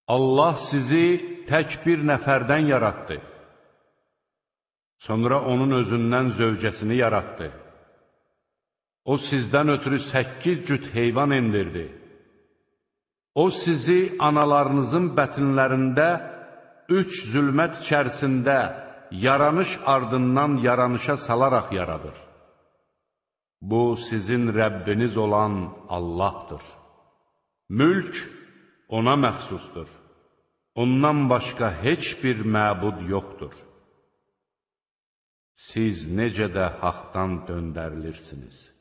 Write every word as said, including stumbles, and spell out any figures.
Allah sizi tək bir nəfərdən yaratdı. Sonra onun özündən zövcəsini yaratdı. O sizdən ötürü səkkiz cüt heyvan endirdi. O sizi analarınızın bətinlərində üç zülmət içərisində yaranış ardından yaranışa salaraq yaradır. Bu, sizin Rəbbiniz olan Allahdır. Mülk ona məxsusdur. Ondan başqa heç bir məbud yoxdur. Siz necə də haqdan döndərilirsiniz.